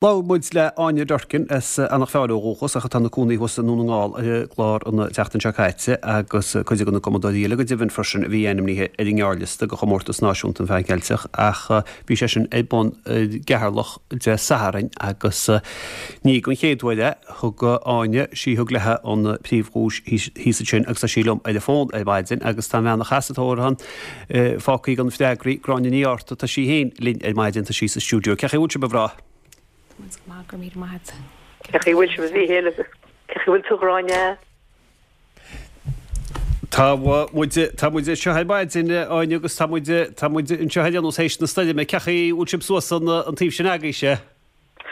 Labhair muid le Áine Durkin as Eanach Mheáin ó dhúchas ach atá ina cónaí thuas i nDún na nGall ar an gclár an tseachtain seo caite agus cuid de na cumadóirí eile go deimhin freisin a bhí ainmnithe ar an ngearrliosta do Chomórtas Náisiúnta an Mheán Cheilteach ach bhí sé sin ar bun i gCeatharlach Dé Sathairn agus ní don chéad uair é. Thug Áine, sí thug léi an príomhdhuais thíos ansin agus tá sí liom ar an bhfón ar maidin agus tá an bhean a chas an t-amhrán fágtha gan freagraí, Gráinne Ní Fhátharta, tá sí féin linn ar maidin, tá sí sa stiúideo. Cén chaoi a bhfuil sibh, a mhná? Tá muid go maith, go raibh míle maith agat. Cén chaoi a bhfuil sibh, a Mhíchíl, agus cén chaoi a bhfuil tú, a Ghráinne? Tá muid, tá muid anseo ar maidin, Áine, agus tá muid, tá muid anseo ar aon nós théis na stoirme. Cén chaoi a bhfuil sibh suas an taobh sin agaibhse?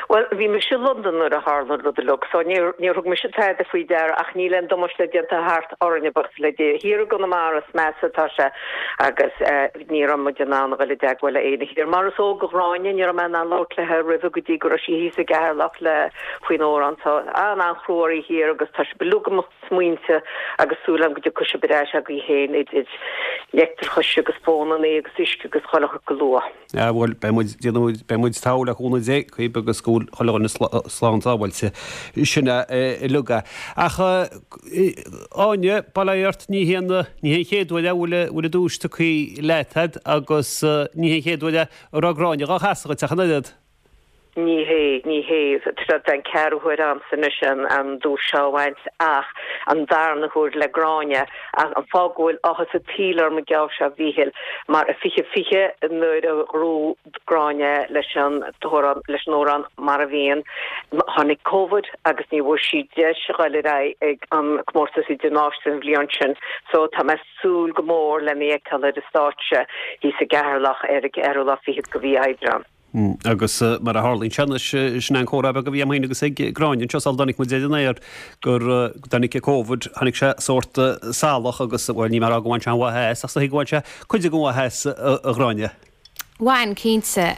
Bhuel, bhí mise i Londain nuair a tharla an rud uilig, so níor, níor thug mise tada faoi deara ach níl aon damáiste déanta thart orainne, buíochas le Dia. Thiar i gConamara is measa atá sé agus eh ní raibh muid in ann a dhul i dteagmháil le éinne thiar. Mar is eol do Ghráinne, ní raibh mé in ann labhairt léi roimhe go dtí go raibh sí thíos i gCeatharlach le faoin amhrán so an-an-chrua oraibh thiar agus tá sibh uilig i mo smaointe agus súil agam go dtiocfaidh sibh ar ais agaibh féin idir leictreachas agus fónannaí agus uisce agus chuile shórt go luath. Ah bhuel, beidh muid, déanfaidh muid, beidh muid togha le cúnamh Dé, cibé agus go bhfuil chuile dhuine slán sábháilte. Sin é uilig é. Ach Áine, bail ó Dhia ort, ní hé an, ní hé an chéad uair é a bhfuil, bhfuil an duais tugtha leat a'd agus ní hé an chéad uair é a raibh Gráinne dhá chasadh dhuit ach an oiread. Ní hé, ní hé. Tá an ceathrú huair a'msa anois an duais seo a bhaint ach an darna huair le Gráinne. Ach an fáth go bhfuil áthas an tsaoil orm an geábh seo, a Mhíchíl, mar i 2020 nuair a ghnóthaigh Gráinne leis an t-amhrán, leis an amhrán Mar a Bhíonn, tháinig Covid agus ní bhfuair sí deis a ghoil ar aghaidh ag an comórtas idirnáisiúnta an bhliain sin. So tá mé súil go mór lena fheiceáil ar an stáitse thíos i gCeatharlach ar an gceathrú lá fichead de mhí Aibreán. Agus mar a tharlaíonn sé anois, sin é an comhrá beag a bhí agam féin agus ag Gráinne anseo sula dtáinig muid ar an aer, gur dtáinig Covid, tháinig sé sórt salach agus, bhuel, níl mé ag rá go bhain sé an mhaith as, ach is dóigh go bhain sé cuid den mhaith as, a Ghráinne. Bhain, cinnte.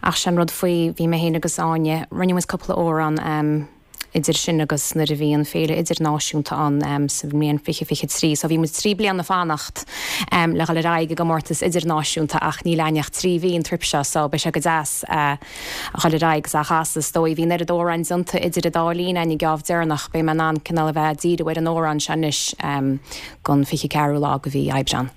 Ach sé an rud faoi, bhí mé féin agus Áine, rinne muid cúpla amhrán, idir sin agus nuair a bhí an Féile Idirnáisiúnta ann sa mbliain 2023. So bhí muid 3 bliana fanacht le dhul ar aghaidh i gcomórtas idirnáisiúnta ach níl againn ach 3 mhí an trip seo so beidh sé go deas a dhul ar aghaidh agus á chasadh. Is dóigh bhí an oiread amhráin déanta idir an dá linn againn an geábh deireanach beidh mé in ann cineál a bheith ag díriú ar an amhrán seo anois don 24ú lá de mhí Aibreán.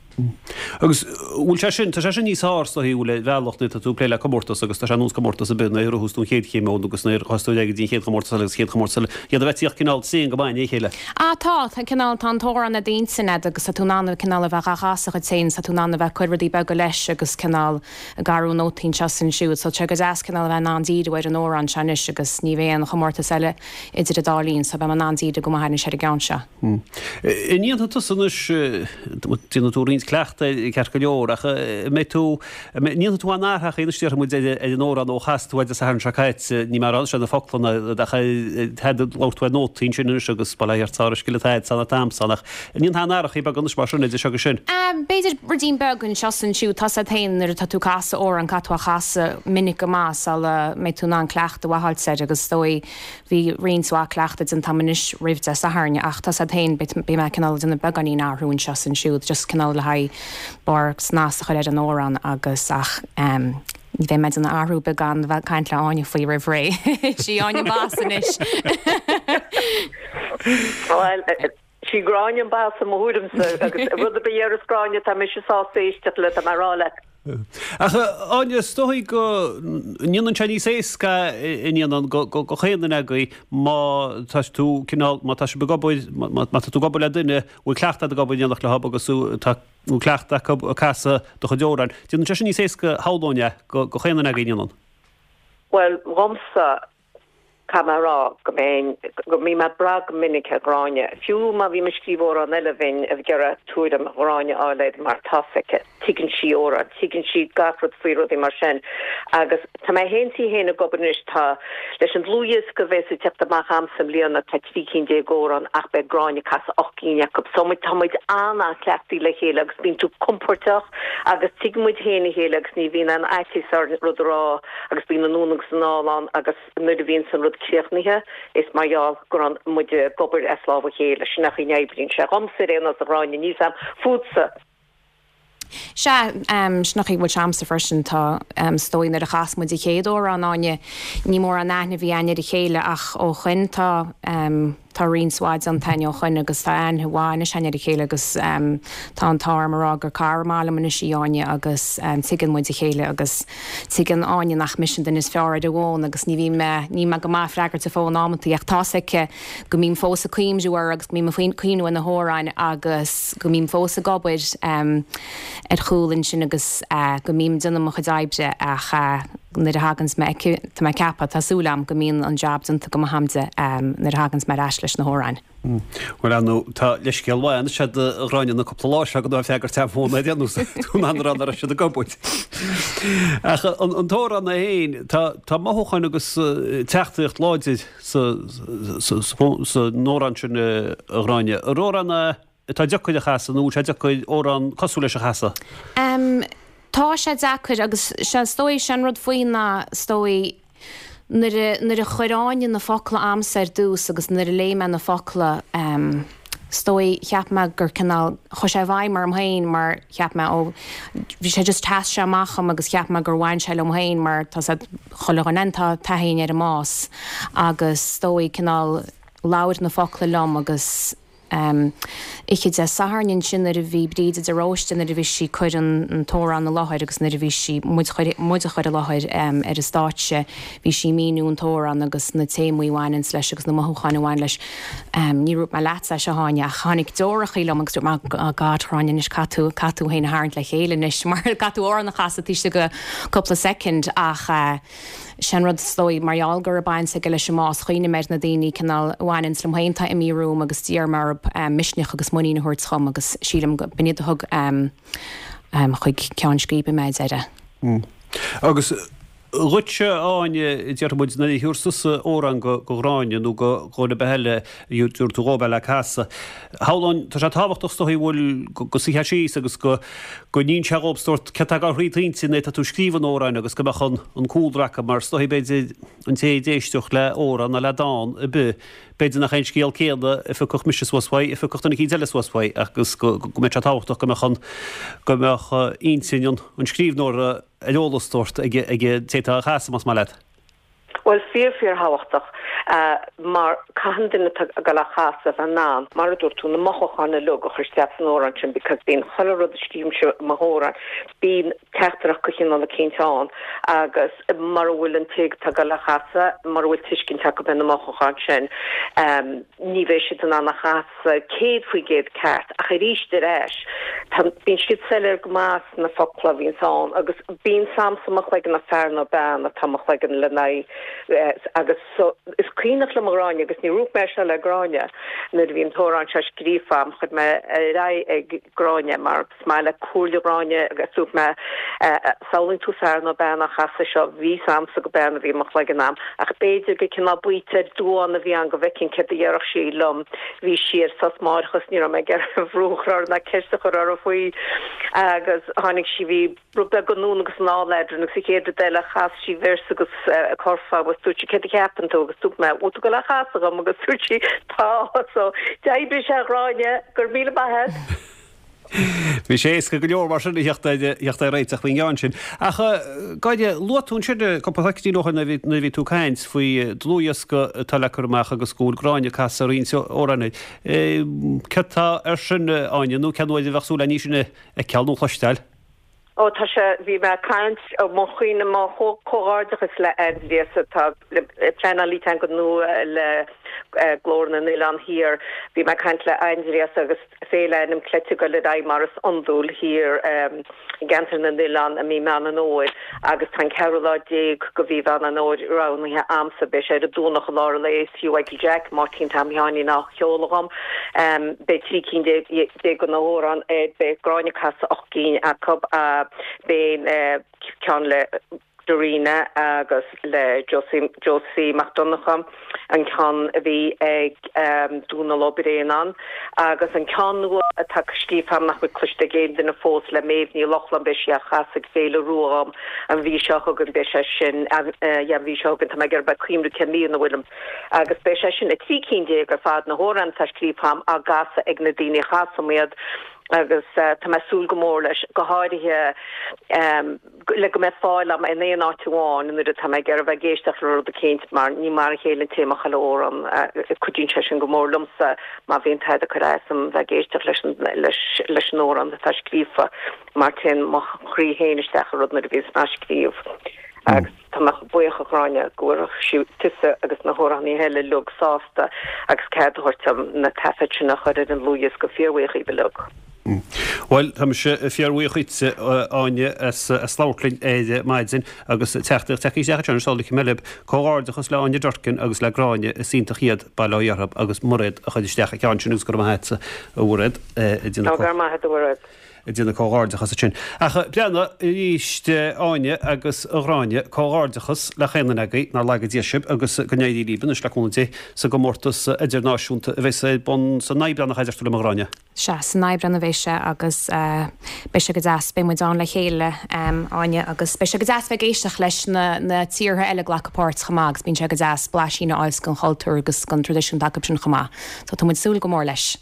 Agus bhfuil sé sin, tá sé sin níos fearr is dóigh bhfuil ar bhealach nuair atá tú ag plé le comórtas agus tá sé ar nós comórtas ar bith nuair a ghnóthós tú an chéad chéim ann agus nuair a thosaigh tú ar aghaidh go dtí an chéad chomórtas eile agus an chéad chomórtas eile, iad a bheith ag tíocht cineál tréan go maith i ndiaidh a chéile. Ah tá, tá cineál, tá an t-amhrán i d'intinn a'd agus tá tú in ann cineál a bheith dhá chasadh dhuit féin, tá tú in ann a bheith ag cur rudaí beaga leis agus cineál ag athrú nótaí anseo is ansiúd so tá sé go deas cineál a bheith in ann díriú ar an amhrán seo anois agus ní bheidh aon chomórtas eile idir an dá linn so beidh mé in ann díriú go maith anois ar an gceann seo. An ndéanfaidh tusa anois, déanfaidh tú roinnt cleachtaidh ceart go leor, ach an mbeidh tú, an ndéanfaidh tú aon athraitheacha anois déarfaidh muid ar an amhrán ó chas tú é Dé Sathairn seo caite, níl mé ag rá anois ar na focla ná ach labhair tú ar nótaí ansin anois agus bail ó Dhia ort sár-scil atá agat san an t-am san ach an ndéanfaidh aon athrachaí beaga anois mar sin idir seo agus sin? B'fhéidir ruidín beag anseo is ansiúd, tá's a'd féin nuair atá tú ag casadh amhrán caithfidh tú a chasadh minic go maith sula mbeidh tú in ann cleachtadh a fháilt air agus is dóigh Bhí roinnt mhaith cleachtaidh déanta agam anois roimh Dé Sathairn ach tá's a'd féin, beidh mé cineál ag déanamh beagáinín athrú anseo is ansiúd just cineál le haghaidh barr snas a chur ar an amhrán agus ach ní bheidh mé ag déanamh athrú ar bith gan bheith ag caint le Áine faoi roimh ré. Is í Áine an boss anois. Bhuel, sí Gráinne an boss i mo thuairimse agus rud ar bith a deireas Gráinne tá mise sásta éisteacht le, tá mé ag rá leat. Ach Áine, is dóigh go ndéanann sé níos éasca an ndéanann go chaon duine agaibh má tá tú cineál, má tá sibh ag obair, má tá tú ag obair le duine, bhfuil cleachtadh ag obair in éineacht leo agus tá cleachtadh acu ag casadh do chuid amhráin. Déanann sé sin níos éasca shamhlóinn é go chaon duine agaibh, an ndéanann? Bhuel, dhomsa, Caithfidh mé a rá go mbeinn, go mbím ag brath go minic ar Ghráinne. Fiú má bhím ag scríobh amhrán eile bheinn ag iarraidh tuairim Ghráinne a fháil air mar tá's aici, tuigeann sí amhráin, tuigeann sí gach rud faoi rudaí mar sin. Agus tá mé féin tí féin ag obair anois, tá, leis an dlúthdhiosca a bheas ag teacht amach a'msa i mbliana tá 13 cinn amhrán ach beidh Gráinne ag casadh 8 gcinn acu. So muid, tá muid an-an-chleachtaithe le chéile agus bíonn tú compordach agus tuigeann muid féin a chéile agus ní bhíonn aon fhaitíos orainn rud a rá agus bíonn anonn agus anall ann agus nuair a bhíonns an rud críochnaithe is mar gheall go raibh muid ag obair as lámh a chéile, sin an chaoi a n-oibríonn sé. Dhomsa ar aon nós a Ghráinne, níl 's a'm fútsa. Sea, sin an chaoi a bhfuil sé a'msa freisin. Tá, is dóigh nuair a chas muid an chéad amhrán, Áine, ní mórán aithne a bhí a'inn ar a chéile ach ó shoin tá, tá roinnt mhaith déanta a'inn ó shoin agus tá aithne mhaith anois a'inn ar a chéile agus tá an t-ádh orm a rá gur cara maith liom anois í Áine agus tuigeann muid a chéile agus tuigeann Áine nach mise an duine is fearr ar an bhfón agus ní bhíonn mé, níl mé go maith ag freagairt an fón amantaí ach tá's aici go mbím fós ag cuimhniú uirthi agus go mbím ag cuimhniú ar na hamhráin agus go mbím fós ag obair ar chúl ansin agus go mbím ag déanamh mo chuid oibre ach nuair a thaganns mé aici, tá mé ag ceapadh, tá súil agam go mbíonn an jab déanta go maith a'm di nuair a thaganns mé ar ais leis na hamhráin. Bhuel, ar ndóigh, tá leithscéal mhaith anois a'd a Ghráinne na cúpla lá seo gan tú ag freagairt an fón ar aon nós, tú in ann a rá nach raibh siad ag obair. Ach an t-amhrán é féin, tá tá mothúcháin agus teachtaireacht láidir sa san amhrán sin a Ghráinne. An amhrán é atá deacair a chasadh nó bhfuil sé deacair amhrán cosúil leis a chasadh? Tá sé deacair agus sé is dóigh, sé an rud faoi ná is dóigh nuair a, nuair a chuir Áine na focla a'msa ar dtús agus nuair a léigh mé na focla is dóigh cheap mé gur cineál, chuaigh sé i bhfeidhm orm féin mar cheap mé ó bhí sé just sheas sé amach dhom agus cheap mé gur bhain sé liom féin mar tá 's a'd chuile dhuine tá taithí againn ar an mbás agus is dóigh cineál labhair na focla liom agus Oíche Dé Sathairn ansin nuair a bhí Bríde de Róiste nuair a bhí sí ag cur an t-amhrán i láthair agus nuair a bhí sí, muid muid a chur i láthair ar an stáitse, bhí sí ag míniú an t-amhrán agus na téamaí a bhaineanns leis agus na mothúcháin a bhain leis. Ní dúirt mé leatsa é seo, a Áine, ach tháinig deorachaí liom agus dúirt mé, oh God, Ghráinne, anois caithfidh tú, caithfidh tú féin a tharraingt le chéile anois mar caithfidh tú amhrán a chasadh taobh istigh de cúpla soicind ach Sé an rud is dóigh, mar gheall go raibh baint aige leis an mbás, chuimhnigh mé ar na daoine cineál a bhaineanns liom féin atá imithe romham agus d'iarr mé orthu misneach agus muinín a thabhairt dhom agus sílim go b'in iad a thug chuig ceann scríbe mé ar deireadh. Agus dhuitse, a Áine, déarfaidh muid, nuair a thabharfas tusa amhrán go Gráinne nó go dhuine ar bith eile a dtabharfaidh tú dhóibh é le casadh, shamhlóinn, tá sé tábhachtach is dóigh go bhfuil, go suífeá síos agus go, go n-inseofá dhóibh sórt céard atá ag dul thríd d'intinn nuair atá tú ag scríobh an amhráin agus go mbeadh an an cúlra acu mar is dóigh b'fhéidir an té a d'éisteodh le amhrán nó le dán ar bith b'fhéidir nach é an scéal céanna a phiocfadh mise suas uaidh a phiocfadh duine eicínt eile suas uaidh agus go go mbeadh sé tábhachtach go mbeadh an go mbeadh intinn an an scríbhneora ar eolas sórt ag ag an té atá á chasadh más maith leat. Bhuel, fíor, fíor-thábhachtach, mar caitheann duine atá ag dul á chasadh a bheith in ann, mar a dúirt tú, na mothúcháin uilig a chur isteach san amhrán sin because bíonn chuile rud a scríobhaimse i mo hamhrán, bíonn teachtaireacht de chineál eicínt ann agus mura bhfuil an té atá ag dul á chasadh, mura bhfuil tuiscint acu ar na mothúcháin sin, ní bheidh siad in ann a chasadh 100% ceart ach arís ar ais tá, bíonn siad soiléir go maith sna focla a bhíonns ann agus bíonn 's a'msa i mo chloigeann an fear nó bean atá i mo chloigeann le n-aghaidh agus so is cuimhneach liom a Ghráinne agus ní dhúirt mé é seo le Gráinne nuair a bhí an t-amhrán seo scríofa a'm chuir mé ar aghaidh ag Gráinne mar Is maith le comhairle Ghráinne agus dúirt mé, samhlaíonn tú fear nó bean á chasadh seo, bhí 's a'msa gur bean a bhí i mo chloigeann a'm, ach b'fhéidir gur cineál baoite ar duán a bhí ann go bhfeicfinn céard a dhéarfadh sí liom. Bhí sí ar sos máithreachais, ní raibh mé ag iarraidh brú a chur uirthi ná ceist a chur uirthi faoi agus tháinig sí, bhí rud beag anonn agus anall eadrainn agus an chéad rud eile chas sí véarsa agus curfá agus dúirt sí céard a cheapann tú agus dúirt mé bhfuil tú ag dul á chasadh dhom agus dúirt sí tá so d'oibrigh sé a Ghráinne, go raibh míle maith a't. Bhí sé éasca go leor mar sin a theacht ar réiteach faoin gceann sin. Ach, Gráinne, luaigh tú ansin cúpla soicindín ó shin nuair a bhí tú ag caint faoi dlúthdhiosca atá le cur amach agus go bhfuil Gráinne ag casadh roinnt amhrán air. Céard tá air sin, Áine, nó cén uair a bheadh súil le ní sin a fheiceáil nó a chloisteáil? Ó tá sé, bhí mé ag caint, mo chuimhne, mo chomhghairdeachas le Aindrias atá pleanálaí teanga nua le Glór na nOileán Thiar. Bhí mé ag caint le Aindrias agus Féile Ainm Cleite ag dul ar aghaidh mar is iondúil thiar i gCeantar na nOileán i mí Meán an Fhómhair agus tá an ceathrú lá déag de mhí Mheán an Fhómhair roghnaithe a'msa. Beidh sé ar an Domhnach i lár an lae is Hugh Mhichael Jack, Máirtín Tom Sheáinín á cheol dhom. Beidh 13 cinn de na hamhráin air, beidh Gráinne ag casadh 8 gcinn acu, beidh ceann le Darina agus le Josie Mac Donncha, an ceann a bhí ag Dónal Ó Braonáin, agus an ceann nua atá scríofa agam nach bhfuil cloiste ag aon duine fós le Méabh Ní Lochlainn, beidh sí á chasadh ag Féile Rua dhom an mhí seo chugainn, beidh sé sin, yeah, an mhí seo chugainn, tá mé ag iarraidh bheith ag cuimhniú cén mhí ina bhfuilim, agus beidh sé sin, 13 cinn ar fad, na hamhráin atá scríofa agam á gcasadh ag na daoine a chasaim iad. Agus tá mé ag súil go mór leis, go háirithe le go mbeidh fáil agam in aon áit amháin nuair atá mé ag iarraidh bheith ag éisteacht le rud eicínt mar ní mar a chéile an téama chuile amhrán. Cuidíonn sé sin go mór liomsa má bhíonn tada ag cur as dom bheith ag éisteacht leis an leis an amhrán atá scríofa mar téann mo chroí féin isteach i rud nuair a bhíonns mé á scríobh. Agus tá mé buíoch a Ghráinne go bhfuil tusa agus na hamhránaithe eile uilig sásta agus cead a thabhairt dom na taifid sin a chur ar an dlúthdhiosca. Fíorbhuíoch dhíbh uilig. Bhuel, tá mise fíorbhuíoch dhíotsa, Áine, as labhairt linn ar maidin agus teachtaireacht tagtha isteach anseo anois, léifidh mé libh. Comhghairdeachas le Áine Durkin agus le Gráinne, is iontach iad, bail ó Dhia orthu agus Mairéad a chuir isteach an ceann sin agus go raibh maith agatsa, a Mhairéad. Go raibh maith agat, a Mhairéad. ag déanamh comhghairdeachas ansin. Ach breathnaigh arís Áine agus a Ghráinne, comhghairdeachas le chaon duine agaibh, nár laga Dia sibh agus go n-éirí libh anois le cúnamh Dé sa gcomórtas idirnáisiúnta a bheas ar bun san Aibreán nach ea a deir tú liom a Ghráinne? Sea, san Aibreán a bheidh sé agus beidh sé go deas, beidh muid ann le chéile Áine agus beidh sé go deas bheith ag éisteacht leis na tíortha eile ag glacadh páirt chomh maith agus bíonn sé go deas blaisín a fháil den chultúr agus den traidisiún atá acu sin chomh maith. So tá muid ag súil go mór leis.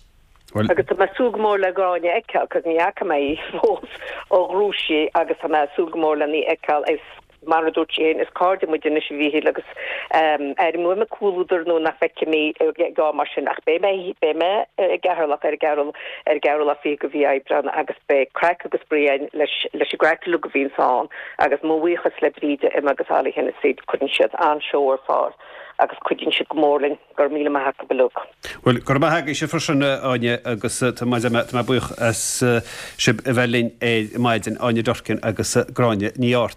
Agus tá mé ag súil go mór le Gráinne a fheiceáil, cos ní fhaca mé í fós ó ghnóthaigh sí agus tá mé ag súil go mór lena í fheiceáil. Is mar a dúirt sí féin, is cairde muid anois a Mhíchíl agus airím uaim an comhluadar nuair nach bhfeicim í ag am mar sin ach beidh mé, beidh mé i gCeatharlach ar an gceathrú, ar an gceathrú lá fichead de mhí Aibreán agus beidh craic agus spraoi againn leis, leis an gcraic uilig a bhíonns ann agus mo bhuíochas le Bríde, Emma agus Ollie Hennessy, cuireann siad an-seó ar fáil agus cuidíonn siad go mór linn. Go raibh míle maith acu uilig. Bhuel, go raibh maith agaibhse freisin, a Áine, agus tá mé buíoch as sibh a bheith linn ar maidin, Áine Durkin agus Gráinne Ní Ártain.